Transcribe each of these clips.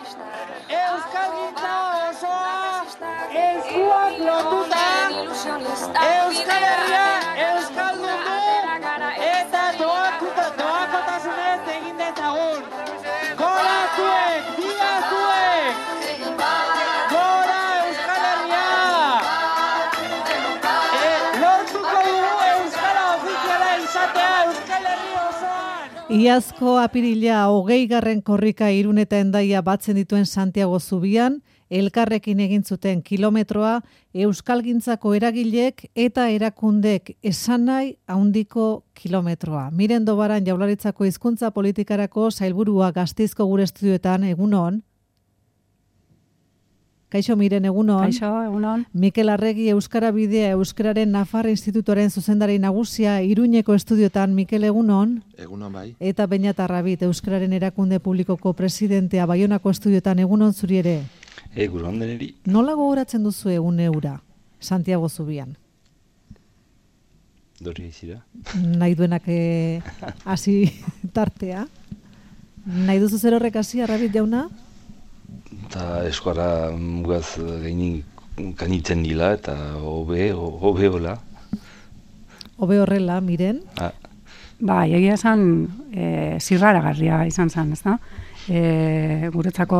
Euskalgintza osoa eskuak lotuta, Euskal Herria euskaldundu eta doakotasunez egin dezagun. Gora zuek, dia zuek! Gora Euskal Herria! Lortuko dugu euskara ofiziala izatea Euskal Herria osoan! Iazko apirila 20. korrika Irun eta Hendaia batzen dituen Santiago zubian, elkarrekin egin zuten kilometroa euskalgintzako eragilek eta erakundek esan nahi handiko kilometroa. Miren Dobaran Jaurlaritzako hizkuntza politikarako sailburua Gasteizko gure estudioetan, egunon. Kaixo Miren, egunon. Kaixo, egunon. Mikel Arregi Euskara Bidea Euskararen Nafarra Institutuaren zuzendari nagusia Iruñeko estudioetan, Mikel, egunon. Egunon bai. Eta Beñat Arrabit Euskararen erakunde publikoko presidentea Baionako estudioetan, egunon zuri ere. Egunon deneri. Nola gogoratzen duzu egun eura, Santiago zubian? Dori izira. Nahi duenak hasi tartea. Nahi duzu zer horrek hasi, Arrabit jauna? Eta eskuara mugaz gainik kanitzen dila eta hobe hola. Hobe horrela, Miren? Ba, egia esan zirraragarria izan zen, ez da? Guretzako,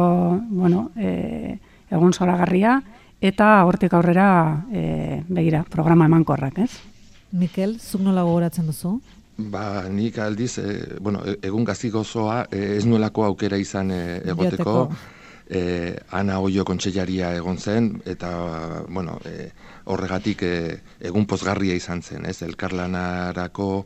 bueno, egun zoragarria eta hortik aurrera begira, programa emankorrak, ez? Mikel, zuk nola gogoratzen duzu? Ba, nik aldiz, egun gazi gozoa ez nuelako aukera izan egoteko. Ana Oio kontseilaria egon zen, eta, horregatik egun pozgarria izan zen, ez? Elkarlanarako,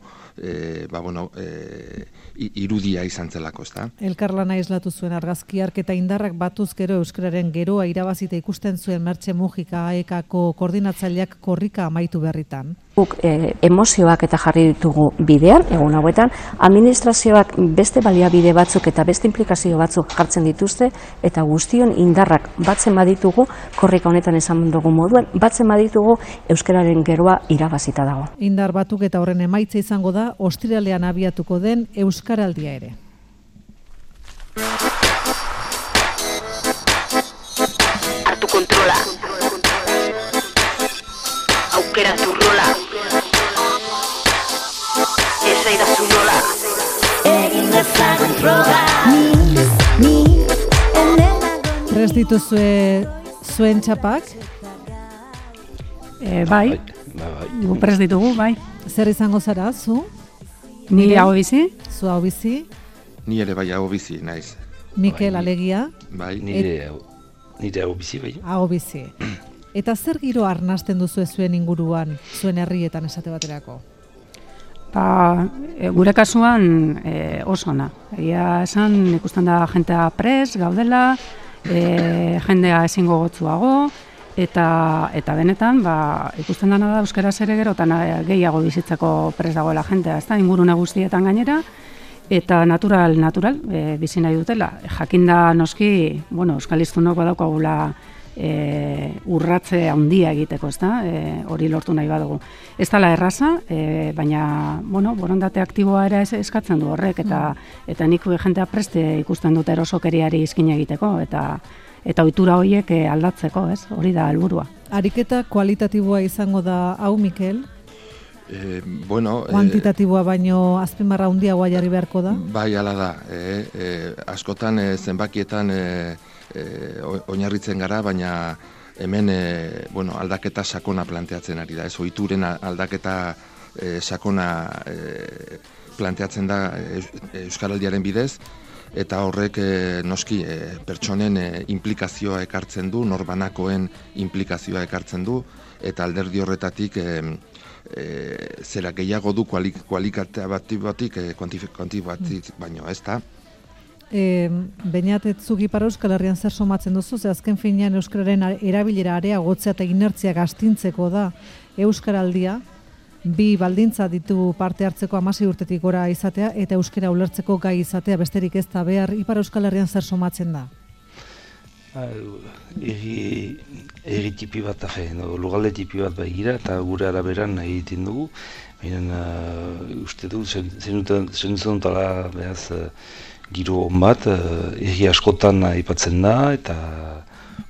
irudia izan zelako, ez da? Elkarlana islatu zuen argazkiark eta indarrak batuz gero euskararen geroa irabazita ikusten zuen Mertxe Mujika AEK-ko koordinatzaileak korrika amaitu berritan. Guk emozioak eta jarri ditugu bidean, egun hauetan, administrazioak beste baliabide batzuk eta beste implikazio batzuk jartzen dituzte, eta guztion indarrak batzen baditugu, korrika honetan esan dugu moduen, batzen baditugu euskararen geroa irabazita dago. Indar batuk eta horren emaitza izango da, ostiralean abiatuko den Euskaraldia ere. Hartu kontrola. Aukeratu rola. Esaidazu nola. Egin dezagun proba. Prest dituzue zuen txapak? Bai, gu prest ditugu, bai. Zer izango zara, zu? Ni hau bizi? Zu hau bizi? Ni ere bai hau bizi, naiz. Mikel, alegia? Bai. Nire hau bizi, bai. Hau bizi. Eta zer giro arnasten duzu zuen inguruan, zuen herrietan esate baterako? Ba, gure kasuan oso ona. Egia esan ikusten da jentea pres, gaudela, jendea ezingo gotzuago, eta benetan, ikusten dana da euskaraz ere gerotan gehiago bizitzeko pres dagoela jentea, ez da, ingurune guztietan gainera, eta natural, bizi nahi dutela. Jakinda noski, euskal hiztunok badaukagula urratze handia egiteko, ez da, hori lortu nahi badugu. Ez dela erraza, baina, borondate aktiboa ere eskatzen du horrek, eta nik jentea preste ikusten dut erosokeriari izkin egiteko, eta ohitura horiek aldatzeko, ez? Hori da helburua. Ariketa kualitatiboa izango da hau, Mikel? Kuantitatiboa baino azpimarra handiagoa jarri beharko da? Bai, hala da. Askotan zenbakietan oinarritzen gara, baina hemen aldaketa sakona planteatzen ari da. Ez ohituren aldaketa sakona planteatzen da Euskaraldiaren bidez, eta horrek noski pertsonen implikazioa ekartzen du, norbanakoen implikazioa ekartzen du, eta alderdi horretatik zera gehiago du kualitatibatik kuantitatibatik baino, ez da? Beñat, zuk Ipar Euskal Herrian zer somatzen duzu, ze azken finean euskararen erabilera areagotzea eta inertzia gastintzeko da Euskaraldia, bi baldintza ditu parte hartzeko 16 urtetik gora izatea eta euskara ulertzeko gai izatea, besterik ez da behar. Ipar Euskal Herrian zer somatzen da? Eri tipi bat, lugalde tipi bat begira eta gure araberan egiten dugu. Baina uste du, zenutela behaz giro on bat, herri askotan aipatzen da, eta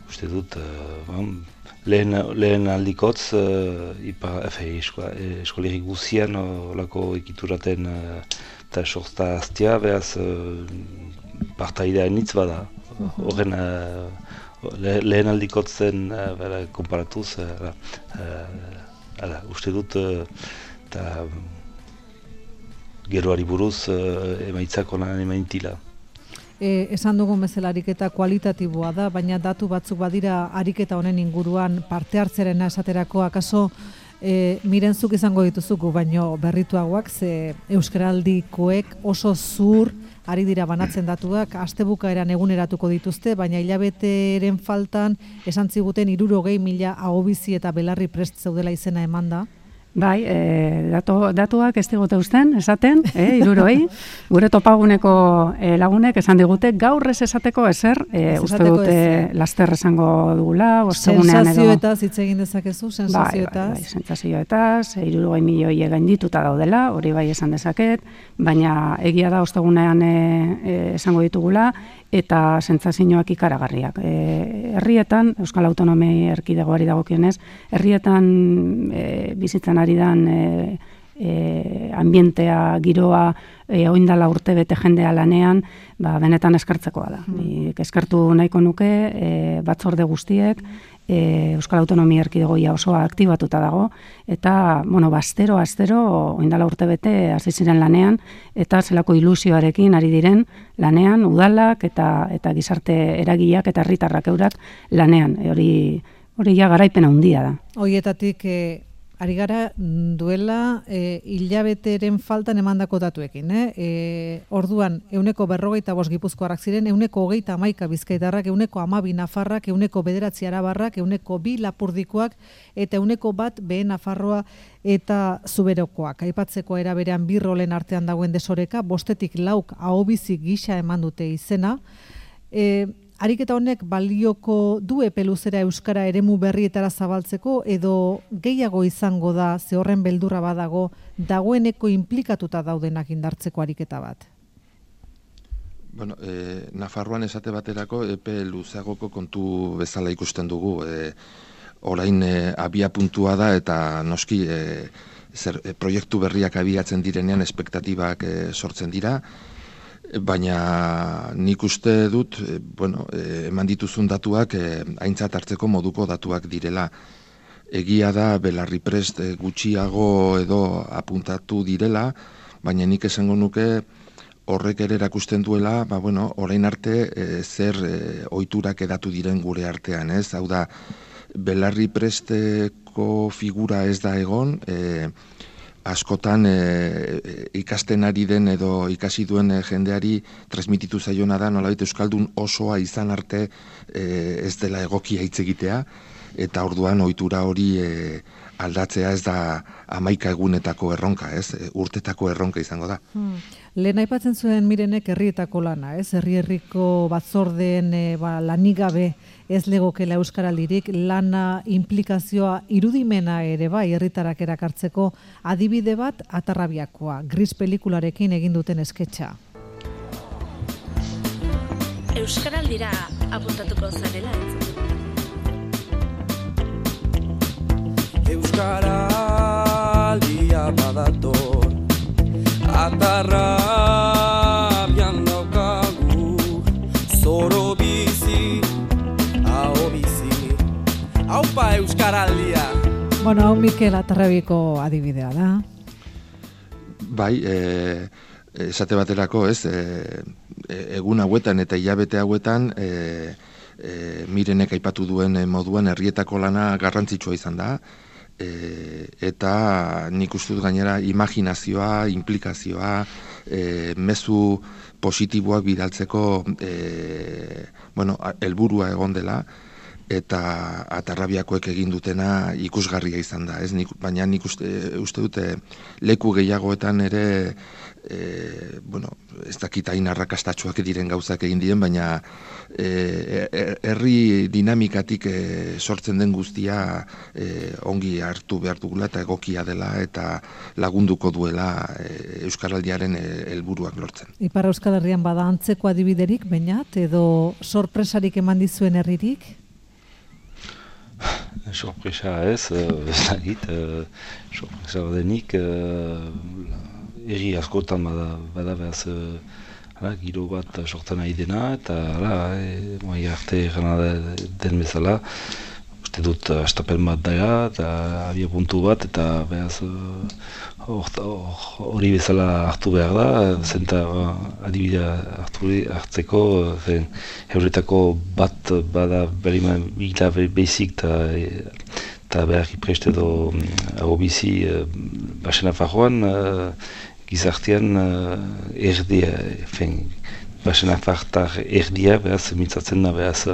uste dut, lehen aldikotz, eskoleri guzian olako ekituraten eta sorta aztia, behaz partaidea nitz bada. Horren lehen aldikotzen konparatuz, uste dut, eta geroari buruz emaitzak onan emaintila. Esan dugun bezala ariketa kualitatiboa da, baina datu batzuk badira ariketa honen inguruan parte hartzerena esaterako, akaso mirenzuk izango dituzugu, baino berrituagoak, ze euskaraldikoek oso zur ari dira banatzen datuak, astebukaeran eguneratuko dituzte, baina hilabeteren faltan esan ziguten 60.000 ahobizi eta belarri prest zeudela izena emanda. Bai, datuak ez digute usten, esaten, 60, gure topaguneko lagunek esan digute, gaur ez esateko ezer, uste dute laster esango dugula, ostegunean edo. Sensazioetaz hitz egin dezakezu, sensazioetaz. Bai, sensazioetaz, 60 milioi gaindituta daudela, hori bai esan dezaket, baina egia da ostegunean esango ditugula, eta sentsazioak ikaragarriak. Herrietan, Euskal Autonomia Erkidegoari dagokionez, herrietan bizitzen ari dan ambientea, giroa, oindala urte bete jendea lanean, benetan eskertzekoa da. Eskertu nahiko nuke batzorde guztiek, Euskal Autonomia Erkidegoia osoa aktibatuta dago, eta, astero, oindala urte bete hasi ziren lanean, eta zelako ilusioarekin ari diren lanean, udalak eta gizarte eragileak eta herritarrak eurak lanean. Hori ja garaipena handia da. Horietatik ari gara duela hilabeteren faltan emandako datuekin. Orduan, 45 gipuzkoarrak ziren, 131 bizkaitarrak, 112 nafarrak, 109 arabarrak, 102 lapurdikoak, eta 101 behe Nafarroa eta Zuberokoak. Aipatzeko era berean bi rolen artean dagoen desoreka, 5 lauk ahobizi gisa eman dute izena. Ariketa honek balioko du epe luzera euskara eremu berrietara zabaltzeko, edo gehiago izango da, ze horren beldurra badago, dagoeneko inplikatuta daudenak indartzeko ariketa bat? Bueno, Nafarroan esate baterako epe luzeagoko kontu bezala ikusten dugu. Orain abia puntua da, eta noski proiektu berriak abiatzen direnean espektatibak sortzen dira, baina nik uste dut, eman dituzun datuak aintzat hartzeko moduko datuak direla. Egia da belarri prest gutxiago edo apuntatu direla, baina nik esango nuke horrek ere erakusten duela, orain arte zer ohiturak edatu diren gure artean, ez? Hau da, belarri presteko figura ez da egon, askotan ikasten ari den edo ikasi duen jendeari transmititu zaiona da, nolabait euskaldun osoa izan arte ez dela egokia hitz egitea, eta orduan ohitura hori aldatzea ez da 11 egunetako erronka, ez? Urtetako erronka izango da. Lehen aipatzen zuen Mirenek herrietako lana, ez? Herri-herriko batzordeen lanik gabe ez legokela euskaraldirik, lana, implikazioa, irudimena ere bai herritarak erakartzeko, adibide bat Atarrabiakoa, Gris pelikularekin egin duten esketxa. Euskaraldira apuntatuko zarela ez? Euskaraldia badator, Atarrabian daukagu, zoro bizi, aho bizi, haupa euskaraldia. Hau Mikel Atarrabiko adibidea da. Bai, esate baterako, ez, egun hauetan eta hilabete hauetan, Mirenek aipatu duen moduan herrietako lana garrantzitsua izan da, eta nik uste dut gainera imaginazioa, implikazioa, mezu positiboak bidaltzeko helburua egon dela, eta Atarrabiakoek egin dutena ikusgarria izan da, ez? Baina nik uste dute leku gehiagoetan ere ez dakit hain arrakastatsuak diren gauzak egin diren, baina herri dinamikatik sortzen den guztia ongi hartu behar dugula eta egokia dela eta lagunduko duela Euskaraldiaren helburuak lortzen. Ipar Euskal Herrian bada antzeko adibiderik, bainat, edo sorpresarik eman dizuen herririk? Sorpresa ez dakit, sorpresa badenik, herri askotan bada behaz giro bat sortzen nahi dena, eta mai arte gana den bezala, uste dut astapen bat dara, eta abia puntu bat, eta behaz hori bezala hartu behar da, zenta adibidea hartzeko, euretako bat bada bila behizik eta behar ipreste edo agobizi Basen Nafarroan, gizartean erdia, Basen Nafartar erdia, behaz, mitzatzen da, behaz,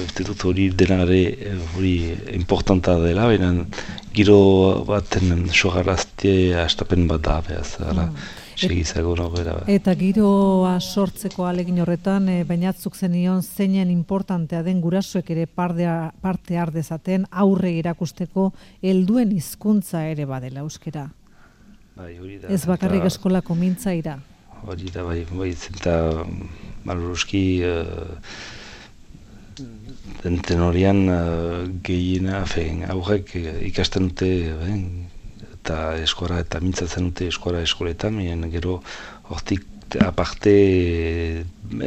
uste dut hori denare hori importanta dela, baina giro baten sogarazte astapen bat da, behaz, segizago nogera. Eta giroa sortzeko alegin horretan, bainatzuk zenion zeinen importantea den gurasoek ere parte har dezaten aurre erakusteko helduen hizkuntza ere badela euskera. Ez bakarrik eskolako mintzaira. Hori da, bai, zenta maluruzki den horian gehiena, aurrek ikasten dute, eta eskora eta mintzatzen dute eskoletan, gero hortik aparte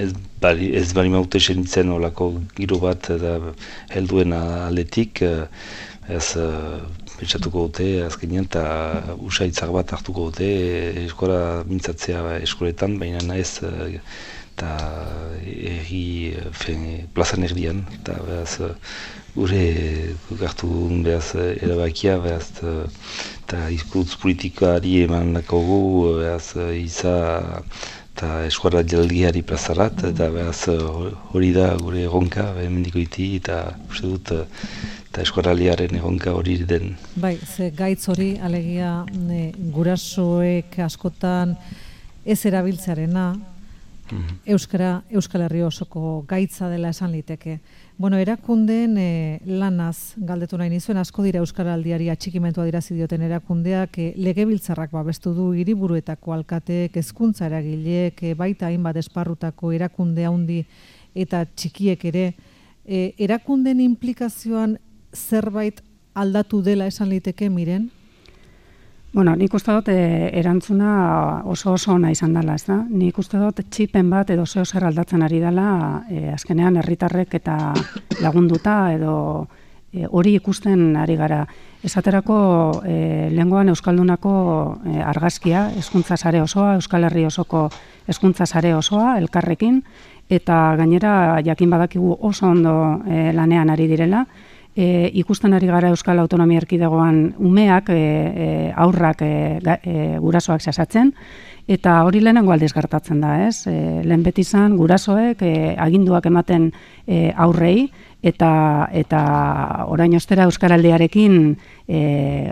ez bali maute senitzen olako giro bat eta helduen aletik, ez pentsatuko dute azkenean eta usaitzak bat hartuko dute eskora mintzatzea eskoletan, baina ez eta plazan erdian, eta behaz gure gartu behaz erabakia, behaz eta hizkuntz politikari eman dakogu, behaz iza eta eskora jaldiari plazarat, eta behaz hori da gure erronka, mendiko iti, eta uste dut eta eskoraliaren egonka hori den. Bai, ze gaitz hori, alegia gurasoek askotan ez erabiltzearena, Euskal Herri osoko gaitza dela esan liteke. Bueno, erakundeen lanaz galdetu nahi nizuen, asko dira Euskaraldiari atxikimentua dirazi dioten erakundeak, legebiltzarrak babestu du hiriburuetako alkateek, hezkuntza eragileek, baita hainbat esparrutako erakunde handi eta txikiek ere, erakundeen implikazioan zerbait aldatu dela esan liteke, Miren? Bueno, nik uste dut erantzuna oso ona izan dela, ez da? Nik uste dut txipen bat edo zeo zer aldatzen ari dela, azkenean herritarrek eta lagunduta edo hori ikusten ari gara. Esaterako lehengoan Euskaldunako argazkia, hezkuntza sare osoa, Euskal Herri osoko hezkuntza sare osoa, elkarrekin, eta gainera jakin badakigu oso ondo lanean ari direla, ikusten ari gara Euskal Autonomia Erkidegoan umeak, aurrak, gurasoak sasatzen, eta hori lehenengo aldiz gertatzen da, ez? Lehen beti izan gurasoek aginduak ematen aurrei, eta orain ostera Euskaraldiarekin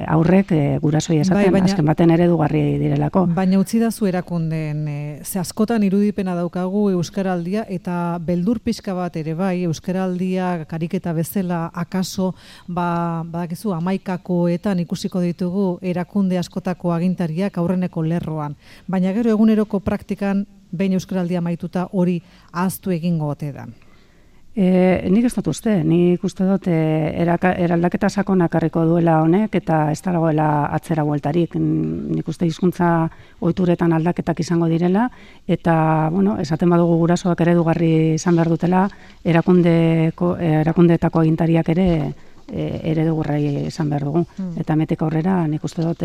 aurrek gurasoi esaten, azken baten eredugarri direlako. Baina utzi da zu erakundeen, ze askotan irudipena daukagu Euskaraldia, eta beldur pixka bat ere bai, Euskaraldia kariketa bezala akaso, badakizu, 11koetan ikusiko ditugu erakunde askotako agintariak aurreneko lerroan. Baina gero eguneroko praktikan, behin Euskaraldia maituta hori ahaztu egingo ote da. Nik ez dut uste, nik uste dut eraldaketa sakonak harriko duela honek eta ez dagoela atzera bueltarik. Nik uste hizkuntza ohituretan aldaketak izango direla eta, bueno, esaten badugu gurasoak eredugarri izan behar dutela, erakundeetako agintariak ere eredugarri izan behar dugu. Eta hemetik aurrera nik uste dut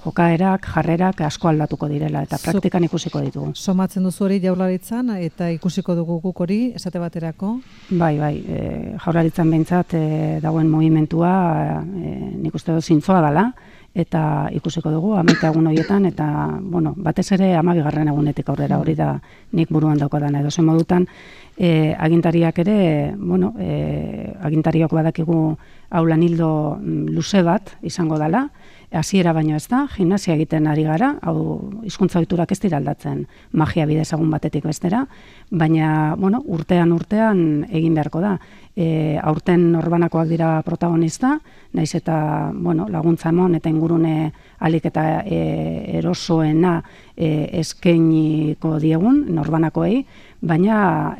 jokaerak, jarrerak asko aldatuko direla eta praktikan ikusiko ditugu. Somatzen duzu hori Jaurlaritzan eta ikusiko dugu guk hori esate baterako? Bai, Jaurlaritzan behintzat dagoen mugimentua nik uste dut zintzoa dela eta ikusiko dugu 11 egun horietan, eta bueno, batez ere 12. egunetik aurrera, hori da nik buruan daukadan edo zen modutan, agintariak ere, bueno, agintariok badakigu hau lan ildo luze bat izango dela, hasiera baino ez da, gimnasia egiten ari gara, hau hizkuntza ohiturak ez dira aldatzen magia bidez egun batetik bestera, baina, bueno, urtean egin beharko da. Aurten norbanakoak dira protagonista, naiz eta, bueno, laguntza emon eta ingurune alik eta erosoena eskainiko diegun norbanakoei, baina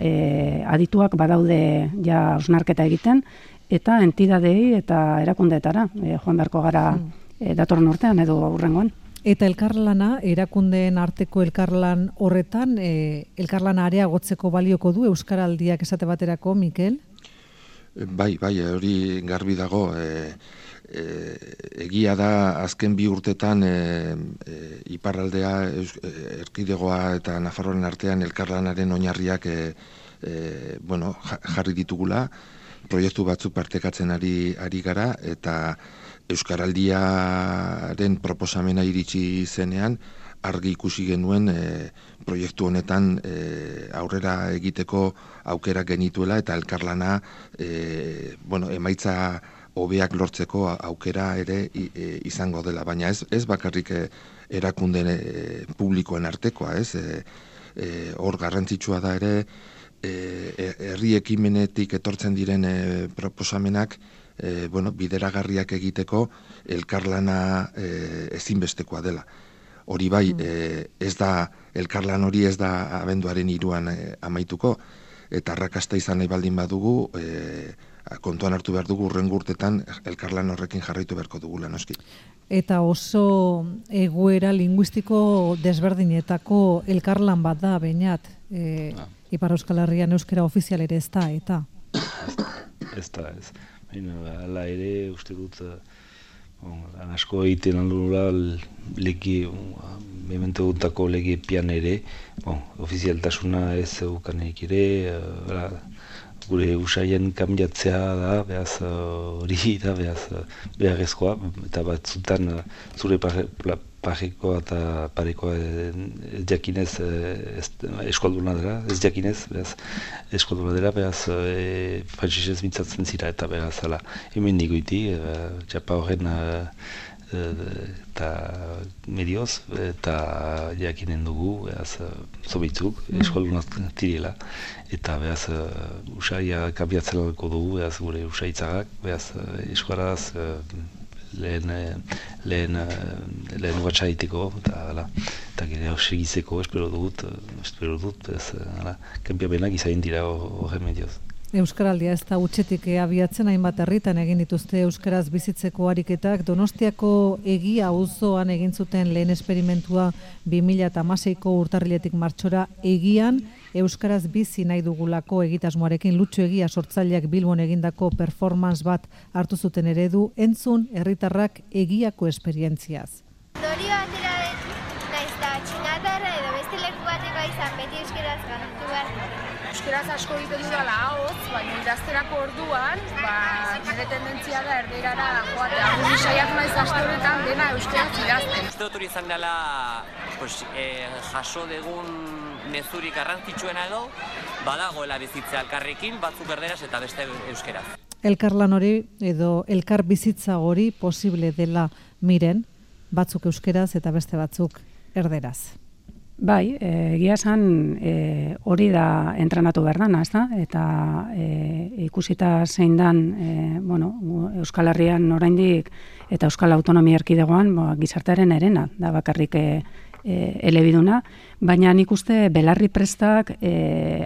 adituak badaude ja hausnarketa egiten, eta entidadei eta erakundeetara joan beharko gara datorren urtean edo aurrengoan. Eta elkarlana, erakundeen arteko elkarlan horretan, elkarlana areagotzeko balioko du Euskaraldiak esate baterako, Mikel? Bai, hori garbi dago. Egia da azken 2 urtetan iparraldea, erkidegoa eta Nafarroaren artean elkarlanaren oinarriak jarri ditugula, proiektu batzuk partekatzen ari gara, eta Euskaraldiaren proposamena iritsi zenean, argi ikusi genuen proiektu honetan aurrera egiteko aukera genituela, eta elkarlana emaitza hobeak lortzeko aukera ere izango dela, baina ez bakarrik erakunde publikoen artekoa, hor garrantzitsua da ere, herri ekimenetik etortzen diren proposamenak bideragarriak egiteko elkarlana ezinbestekoa dela. Hori bai, elkarlan hori ez da abenduaren 3 amaituko, eta arrakasta izan nahi baldin badugu, kontuan hartu behar dugu hurrengo urtetan elkarlan horrekin jarraitu beharko dugula, noski. Eta oso egoera linguistiko desberdinetako elkarlan bat da, Beñat, Ipar Euskal Herrian euskera ofizial ere ez da, eta? Ez da. Hala ere, uste dut, asko egiten aldunura legi, memento guntako legi pian ere, ofizialtasuna ez eukaneik ere, gure usaien kambiatzea da, behaz hori da, behaz beharrezkoa, eta batzutan zure parekoa eta parekoa ez jakinez eskualduna dela, ez jakinez, behaz eskualduna dela, behaz frantzesez mintzatzen zira, eta behaz hemen digoiti, txapa horren eta medioz, eta jakinen dugu, behaz zobitzuk, eskualduna tirela, eta behaz usaia kambiatzen alko dugu, behaz gure usaitzagak, behaz eskuaraz lehen uatxaiteko, eta gire segizeko espero dut, kanpiabenak izain dira horren medioz. Euskaraldia ez da utxetik abiatzen, hainbat herritan egin dituzte euskaraz bizitzeko ariketak. Donostiako Egia auzoan egin zuten lehen esperimentua 2016ko urtarriletik martxora Egian euskaraz bizi nahi dugulako egitasmoarekin Lutxo Egia sortzaileak Bilbon egindako performance bat hartu zuten eredu, entzun herritarrak Egiako esperientziaz. Dorio atera naiz da txinatarra edo beste leku bateko izan beti euskaraz garatu behar. Euskaraz asko egiten dudala ahotz, baina idazterako orduan, nire tendentzia da erderara joatea. Guri saiatu naiz aste honetan dena euskaraz idazten. Uste dut hori izan dela jaso degun mezurik garrantzitsuena edo, badagoela bizitza elkarrekin, batzuk erderaz eta beste euskaraz. Elkarlan hori edo elkar bizitza hori posible dela Miren, batzuk euskeraz eta beste batzuk erderaz. Bai, egia esan hori da entrenatu behar dana, ezta? Eta ikusita zein dan, Euskal Herrian oraindik eta Euskal Autonomia Erkidegoan gizartearen herena, da bakarrik elebiduna, baina nik uste belarri prestak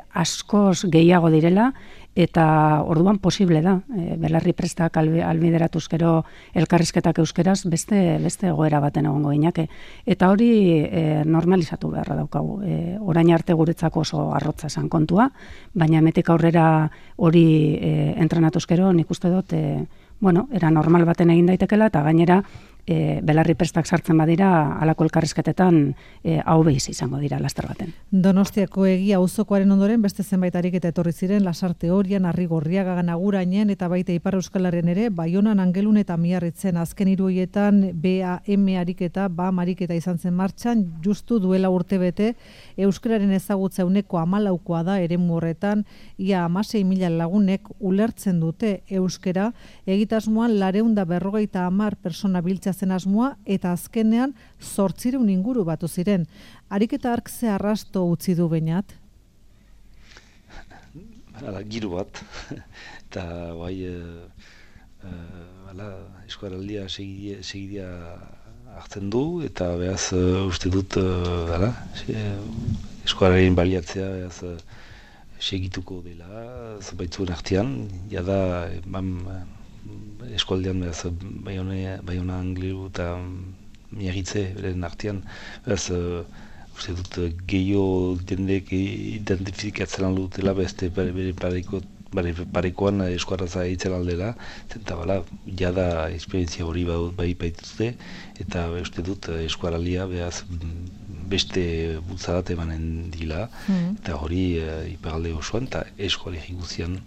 askoz gehiago direla, eta orduan posible da, belarri prestak albideratuz gero elkarrizketak euskeraz beste egoera baten egongo ginake. Eta hori normalizatu beharra daukagu. Orain arte guretzako oso arrotza esan kontua, baina hemetik aurrera hori entrenatuz gero nik uste dut era normal baten egin daitekela, eta gainera belarri prestak sartzen badira, alako elkarrizketetan hau behiz izango dira laster baten. Donostiako Egia auzokoaren ondoren beste zenbait ariketa etorri ziren Lasarte Orian, Arrigorriaga, Agurainen eta baita Ipar Euskal Herrian ere, Baionan, Angelun eta Miarritzen azken 3 horietan BAM ariketa, BAM ariketa izan zen martxan, justu duela urtebete, euskararen ezagutza 14% da eremu horretan, ia 16.000 lagunek ulertzen dute euskera, egitasmoan 450 persona biltza zen asmoa eta azkenean 800 inguru batu ziren. Ariketa hark ze arrasto utzi du Beñat? Giro bat, eta eskuaraldia segidia hartzen du, eta behaz uste dut eskuararen baliatzea segituko dela, zabaitzuen artean, jada eskualdean behaz Baiona, Angliru eta Miarritze beren artean, behaz uste dut gehiago jendek identifikatzen dutela beste bere parekoan eskuarraza eitzen aldela, eta jada esperientzia hori bai baituzte, eta uste dut eskuaralia behaz beste bultzadat emanen dila, eta hori iparalde osoan, eta eskualegi guzian.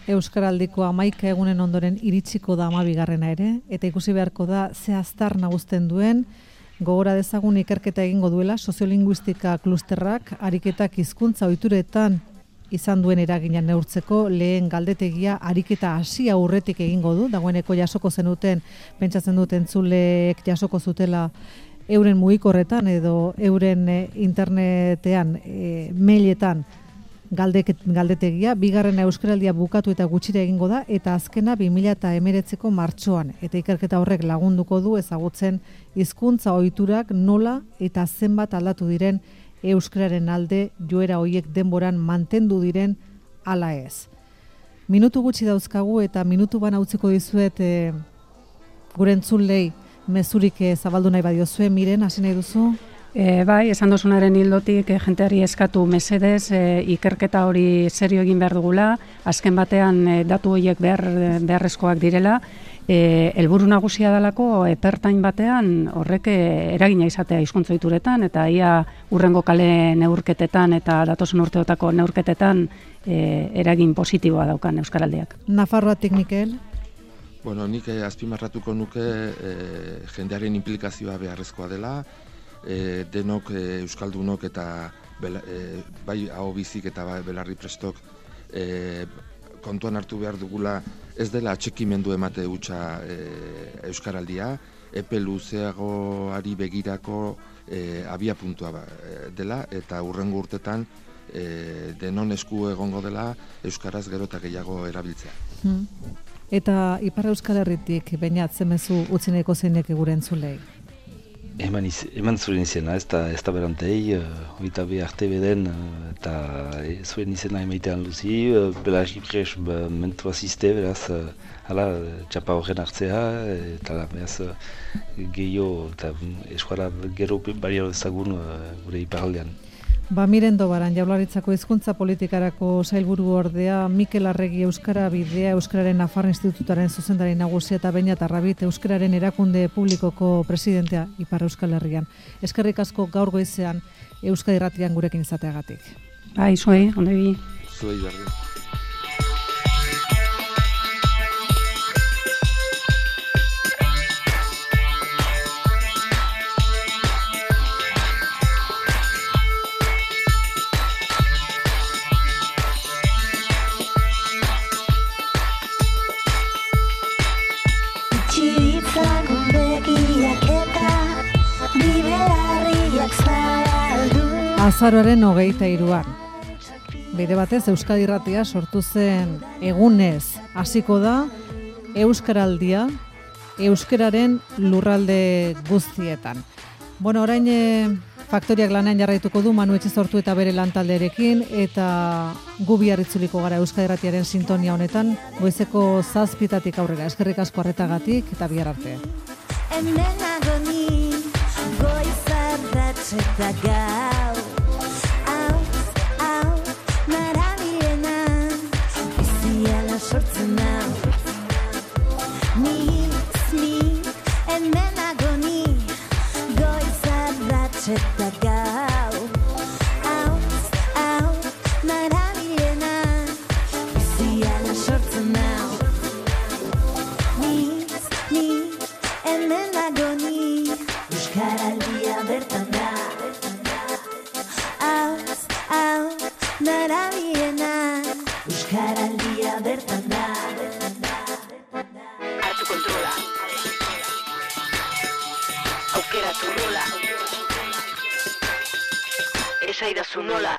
Euskaraldiko 11 egunen ondoren iritsiko da 12. ere, eta ikusi beharko da ze aztar nagusten duen, gogora dezagun ikerketa egingo duela soziolinguistika klusterrak ariketak hizkuntza ohituretan izan duen eragina neurtzeko lehen galdetegia ariketa hasi aurretik egingo du, dagoeneko jasoko zenuten, pentsatzen dut entzuleek jasoko zutela euren mugikorretan edo euren internetean, mailetan galdetegia, bigarrena euskaraldia bukatu eta gutxira egingo da, eta azkena 2019ko martxoan, eta ikerketa horrek lagunduko du ezagutzen hizkuntza ohiturak nola eta zenbat aldatu diren euskararen alde joera hoiek denboran mantendu diren ala ez. Minutu gutxi dauzkagu eta minutu bana utziko dizuet gure entzulei mezurik zabaldu nahi badiozue, Miren, hasi nahi duzu? Bai, esan duzunaren hildotik jenteari eskatu mesedez ikerketa hori serio egin behar dugula, azken batean datu horiek beharrezkoak direla, helburu nagusia dalako epertain batean horrek eragina izatea hizkuntza ohituretan eta ia hurrengo kale neurketetan eta datozen urteotako neurketetan eragin positiboa daukan euskaraldiak. Nafarroatik, Mikel? Bueno, nik azpimarratuko nuke jendearen implikazioa beharrezkoa dela, denok euskaldunok eta bai aho bizik eta bai belarri prestok kontuan hartu behar dugula ez dela atxikimendu emate hutsa euskaraldia, epe luzeagoari begirako abia puntua dela eta hurrengo urtetan denon esku egongo dela euskaraz gero eta gehiago erabiltzea. Eta Ipar Euskal Herritik Beñat zemezu utzi nahiko zeinek gure entzulei? Eman zuen izena, ez da berantei, oita bi arte beden, eta zuen izena emaitean luzi, belarri pres mentua ziste, beraz, txapa horren hartzea, eta beraz, gehiago, eta eskuara gero bariaro ezagun gure iparaldean. Miren Dobaran, Jaurlaritzako hizkuntza politikarako sailburu ordea, Mikel Arregi Euskara Bidea, Euskararen Nafar Institutuaren zuzendari nagusia eta Beñat Arrabit Euskararen erakunde publikoko presidentea Ipar Euskal Herrian. Eskerrik asko gaur goizean Euskadi Irratian gurekin izateagatik. Bai, zuei, ondo bi. Zuei berdin. Azaroaren 23an. Bide batez Euskadi Irratia sortu zen egunez hasiko da euskaraldia euskararen lurralde guztietan. Bueno, orain faktoriak lanean jarraituko du Manu Etxezortu eta bere lantaldearekin eta gu bihar itzuliko gara Euskadi Irratiaren sintonia honetan, goizeko 7:00 aurrera. Eskerrik asko arretagatik eta bihar arte. Sortzen nau, ni, hemen hemen nagoni, Euskaraldia bertan da. Hau, nara biena, Euskaraldia bertan da. Hartu kontrola. Aukeratu rola. Esaidazu nola.